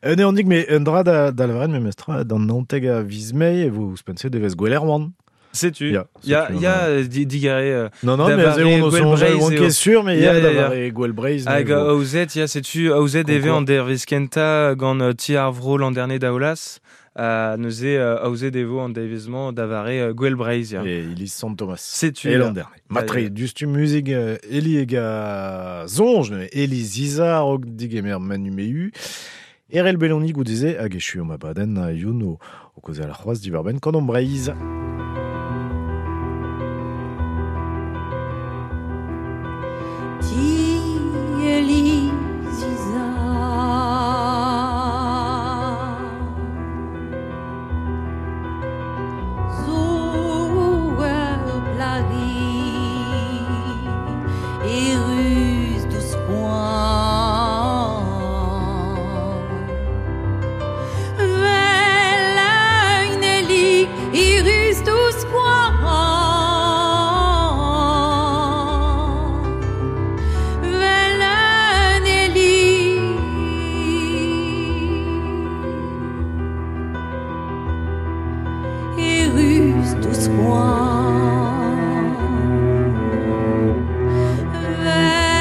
Un eandig, me un dra da lavaret memes tra, d'an naontek a viz Mae e vo ouzhpenn-se devez Gouel Erwan. Setu. Ya, ya, digare. Non, non, mais on on songe, on ket sûr, mais ya, da vare Gouel Breizh. Hag aozet, ya, setu, aozet eve an dervez kenta gant Ti ar Vro l'an dernier daolas. Neuze aozet evo an devezh-mañ da vare Gouel Breizh, ya. E iliz Sant Thomas. Setu. E l'an dernier. Matre, dustu muzik Eli hag a soñj, neuze, Eli Zizar og digemer Manu Mehu. Erel Beloni goudeze hag echu ma badenn youn o kaozeal c'hoazh diwar-benn Kanomp Breizh. Ti Eli Zizar zo ur plagig erruz douzh poan Vel un elig erruz douzh poan Vel un elig erruz douzh poan Vel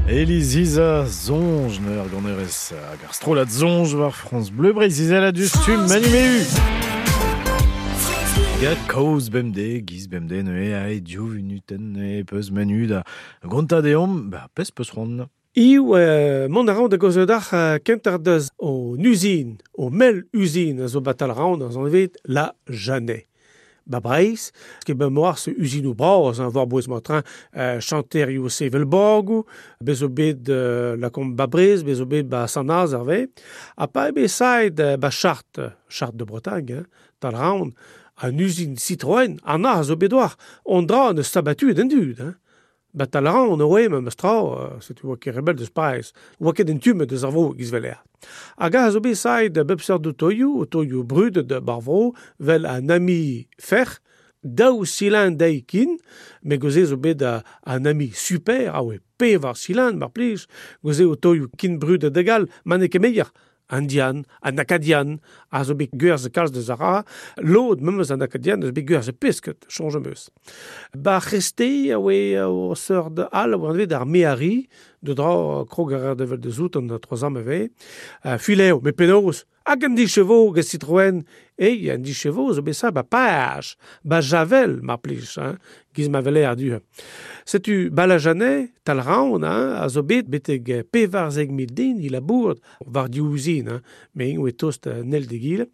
Eliziza zonj neur ganerez hag ar strollad zonj war France Bleu Breizh-Izel a du stumm Manu Ga kaoz bemde, giz bemde neue a e div unuten e peus manu da gonta deomp, ba pez peus c'hoant. Iw mont a raon da goz d'ar kenter deus o usine, o mel usine a zo batal raon a zon evet la Janet. Ba Breizh, ket ben moar se usinou bras, hein, war bouez matrin, chanterioù sevel borgou, bez o bet la kom ba Breizh, bez o bet ba Sanaz arve, ha pa ebe saet ba Charte, Charte de Bretagne, hein, tal raon, an usine Citroën, an a zo bet war, on dra ne sabatu den dud, hein. Ba tal raon oe ma meus tra, setu oa ket rebel deus Paris, oa ket en tume deus ar vro giz veler. Hag a zo bet saet bep seurt otoioù, otoioù brudet de bar vro, vel an ami fer, daou silin dei kin, me goze zo bet an ami super, a oe pevar silin, mar plij, goze otoioù kin brudet de gal, ma ne ket meier. Indian, an Acadian, a zo bet gwerz kalz deus ar ra, lod memes an Acadian eus bet gwerz pesket, chonj meus. Ba c'heste a oe o seurt al, a oe anvet ar meari, de dra krog ar devel de zout an troazam eve, fileo, me penaos, hag an di chevaux get Citroën, ei, an di chevaux zo bet sa ba page, ba javel, mar plij, hein, giz ma vele ar du. Setu balajanet, tal raon, hein, a zo bet beteg pevarzeg mil den il a bourd, war di ouzin, hein, me ing oe tost nel de gil,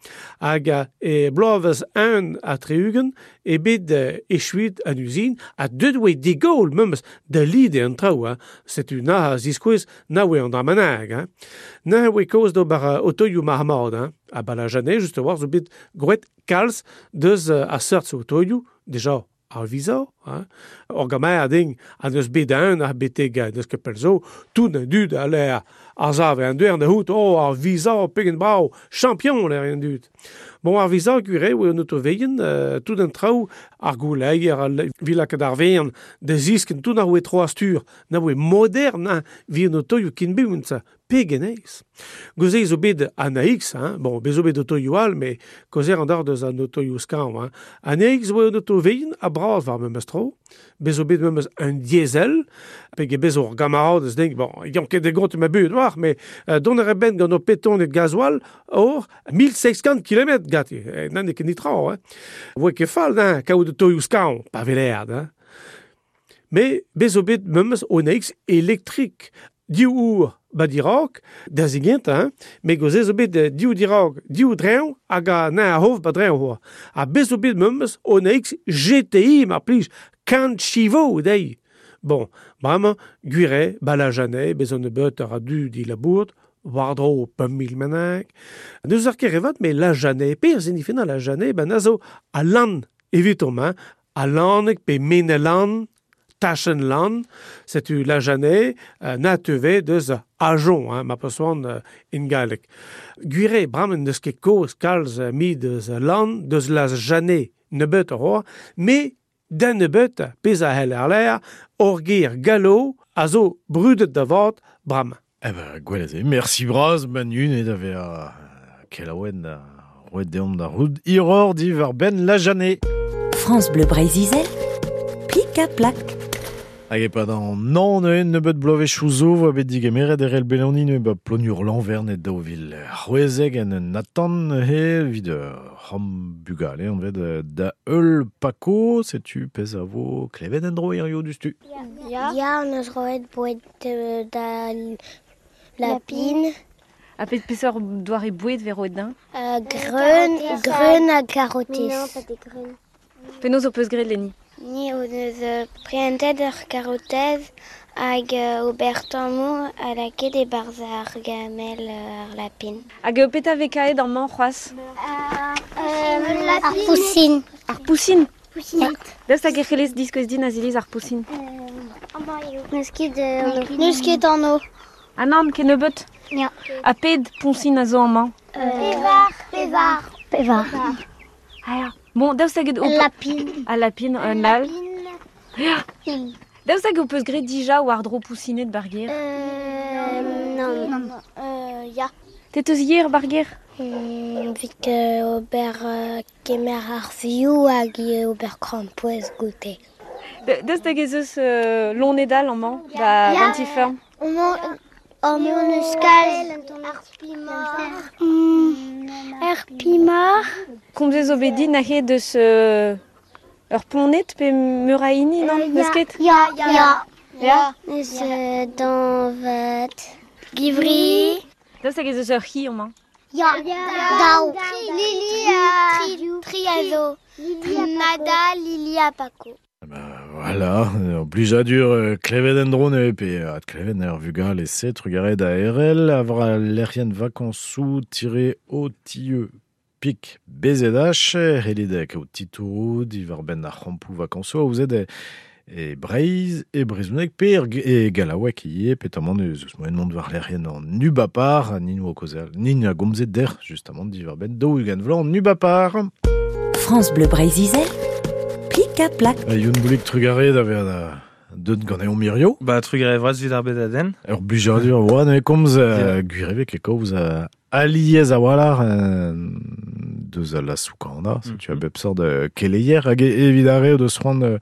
hag e bloavez un a treugen, e bet echuit an usine, a deud oe de Gaulle memes da lide an traoù, hein. Setu na a ziskouez na oe an dramanag, hein. Na oe kaoz d'ober otoioù marmad, hein. A balajanet, just war, zo bet groet kalz deus a seurt otoioù, deja ar visa, hein. Ur gamer a ding, an eus bet un ar beteg deus ket pell zo, tout an dud a l'air ar zave an duer da hout, oh, ar visa, pegen brao, champion l'air an dud. Bon, ar visa gwire, oe an otoveien, tout an traoù, ar gouleier, ar vilak ar vern, da zisken, tout ar oe tro astur, na oe modern, hein, vi an otoioù kin bunt, pegen eiz. Goze zo bet an AX, hein, bon, bez zo bet otoioù all, me kozer an dar deus an otoioù skañv, hein. An AX oe an otoveien a bras war memes tro, bez zo bet memes un diesel, pege bez ur gamarad eus ding, bon, yann ket de gont ma bud war, me don ar ben gant o peton et gasoil or 1600 km gati, nan e ket nitra, hein. Oe ket fall, hein, kaout otoioù skañv, pa velerd, hein. Me bez zo bet memes an AX elektrik, div our ba dirag, da zigent, hein, me goze zo bet div dirag, div dreñv, hag a na a hov ba dreñv hoa. Ha bez zo bet memes an AX GTI, mar plij, kant chivo dei. Bon, bremañ, gwire, ba la janet, bez an nebeut ar a du di labourd, war dro pemp mil menag. Neus ar ket revat, me la janet, per zinifena la janet, ben a zo a lan evitom, hein, a laneg pe menelan, Tachenland, setu la janet, na teve deus ajon, hein, ma pesoan in galleg. Gwire, bramen deus ket koz kalz mi deus lan, deus la janet nebeut ar me den nebeut pez a hell ar l'air, orgir gallo a zo brudet da vat bram. Eh ben, gwell eo, merci braz, Manu, ne da ve a kelaouen da roet deomp da roud iror di var ben la janet. France Bleu Breizh-Izel, plik a plak. Hag e pa an nan neuen nebeut bloavezh chouzo voa bet digemeret erel beloni neue ba plonur l'envern et daou vil c'hwezeg en un atan he vid ram bugale an vet da eul pako, setu pez a vo klevet en dro hirio du stu. Ya, ya an eus roet boued da lapin. A pet peseurt doare boued ve roet din? Greun ha karotez. Non, pas des greun. Penaos o peus graet, Leni? Ni o deus prientet ur karotez hag ober tammoù a lakaet e-barzh ar gamel ar lapin. Hag petra vez kaet amañ c'hoazh? Ar pousin. Ar pousin? Pousin. Daoust hag e c'hellez diskouez din Aziliz ar pousin? N'eus ket anv. Ah nann, ket nebeut? Ya. Ha ped pousin a zo amañ? Pevar. Pevar. Ah ya. Bon, daoust hag o lapin. A lapin, un al. Daoust hag o peus graet dija war dro pousinet barger? Non. Ya. Te teus yer barger? Vit ober kemer ar vioù hag ober krampouezh goute. Deus da ez eus lonedal amañ, ba Ya. anti-ferm. Amañ eus kalz. Ar pimar. Komzez zo bet dit nahe deus ur poned pe meur a hini, non? N'eus ket? Ya, ya. Ya. Eus dañvad. Givri. Deus hag ez eus ur c'hi amañ. Ya. Daou. Lili a... Tri a zo. Nada, Lili ha Paco. Voilà, ur blijadur klevet en dro neuze pe ad klevet ur vugal e se trugaret da RL a vra lec'hien vakañsoù tire o tie pik BZH helit kaout titouroù diwar benn ar c'hampoù vakañsoù a ouzet e Breizh, e Brezhoneg pe e Gallaoueg ivez, petamant eus eus moen mont war lec'hien an Ubapar, nin oa kaozeal, nin a gomzet der, justement, diwar benn 20 vloaz an Ubapar. France Bleu Breizh-Izel, plik ha plak. Youn Boulik trugarez da vezañ da deut ganeomp mirio. Ba trugarez vras evit ar bedadenn. Ur blijadur oa ne komz gwirevek e kaoz aliez a-walc'h deus a la soukana, setu a bep sort keleier hag evit ar re deus c'hoant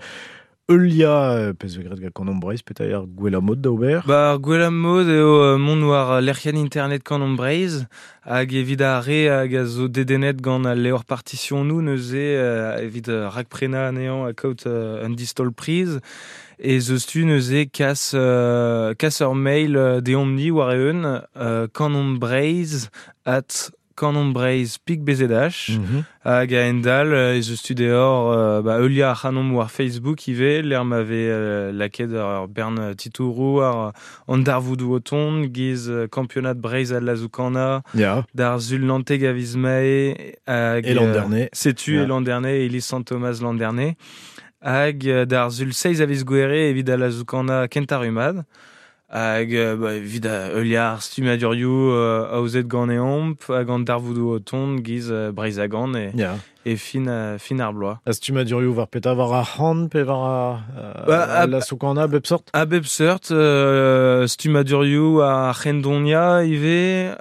Eulia, pezh vez graet gant Kanomp Breizh, petra eo ar gwellañ mod da ober? Ba, ar gwellañ mod eo mont war lec'hienn internet Kanomp Breizh hag evit ar re hag a zo dedennet gant al levr partisionoù neuze evit rakprenañ anezhañ ha kaout un distol priz ez eus tu neuze kas ur mail deomp-ni war-eeun kanompbreizh at kanompbreizh pik BZH hag a-hend-all ez eus tu deoc'h ba, heuliañ ac'hanomp war Facebook ivez lec'h ma vez lakaet ur bern titouroù war an darvoudoù o tont giz kampionad Breizh al Lazoukana d'ar Sul Nanteg a viz Mae hag E Landerne. Setu e Landerne e iliz Sant-Thomas Landerne hag d'ar Sul 6 a viz Gouere evit al Lazoukana kentañ Hag ba, evit heuliañ ar stummadurioù aozet ganeomp hag an darvoudoù o tont giz Breizh a gan e fin ar bloaz. A stummadurioù war petra war ar c'han pe war ar la soukana bep sort? A bep sort, stummadurioù ar c'hendonia ivez,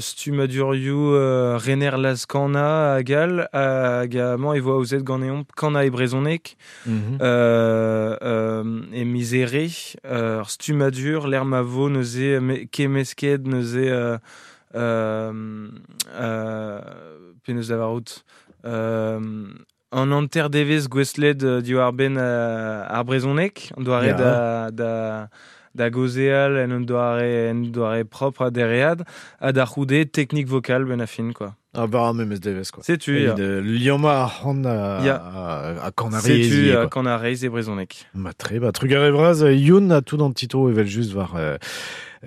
stummadurioù rener Lazkana hag all, hag amañ e vo aozet ganeomp kana e brezhoneg, e miz Here, ur stummadur lec'h ma vo neuze kemmesket neuze penaos lavarout an hanter devezh gouestlet diwar-benn ar brezhoneg, an doare da gaozeal en un doare propre ha dereat, ha da c'houde teknik vokal benn a fin, quoi. Ah bah, memes devezh, quoi. Setu, ya. Liammañ ar c'han a kanarez. Setu, a kanarez e brezhoneg. Ma tre, ba, trugarez vras, Youn a tout an tito evel just war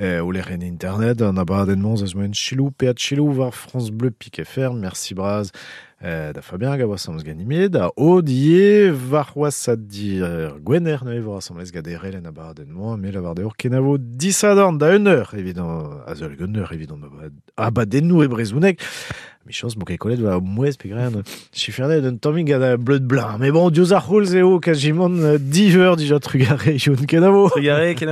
o lec'hienn internet, an abadenn-mañ eus moen chilou, pe chilou war France Bleu Pik FR, merci bras da Fabien hag a oa asambles ganime, da Odie, war c'hoazh a dir Gwener, neuze vo asambles gant erel en abadenn-mañ, me lavar deoc'h kenavo disadorn da 1 eur, evit an azeul 1 eur, evit an abadennoù e brezhoneg. Michans, mo ket kollet va mouez pe graet chifernet un tammig gant bleud blanc. Mais bon, diouzh ar c'houlz eo kajimant 10 eur dija trugarez, Youn kenavo. Trugarez, kenavo.